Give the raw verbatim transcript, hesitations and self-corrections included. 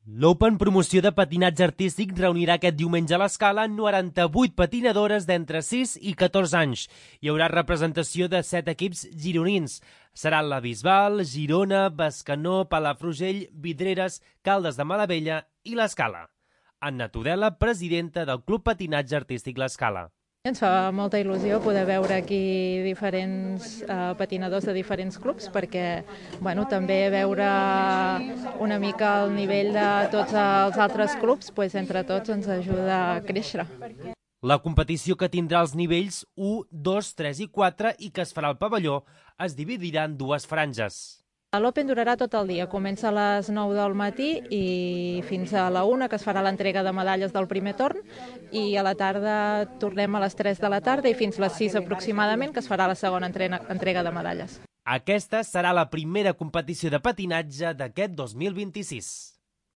L'Open Promoció de Patinatge Artístic reunirà aquest diumenge a l'Escala noranta-vuit patinadores d'entre sis i catorze anys. Hi haurà representació de set equips gironins. Seran la Bisbal, Girona, Bescanó, Palafrugell, Vidreres, Caldes de Malavella i l'Escala. Anna Tudela, presidenta del Club Patinatge Artístic l'Escala. Ens fa molta il·lusió poder veure aquí diferents eh, patinadors de diferents clubs perquè bueno, també veure una mica el nivell de tots els altres clubs, pues, entre tots ens ajuda a créixer. La competició, que tindrà els nivells u, dos, tres i quatre i que es farà al pavelló, es dividirà en dues franges. L'Open durarà tot el dia, comença a les nou del matí i fins a la una, que es farà l'entrega de medalles del primer torn, i a la tarda tornem a les tres de la tarda i fins a les sis aproximadament, que es farà la segona entrega de medalles. Aquesta serà la primera competició de patinatge d'aquest dos mil vint-i-sis.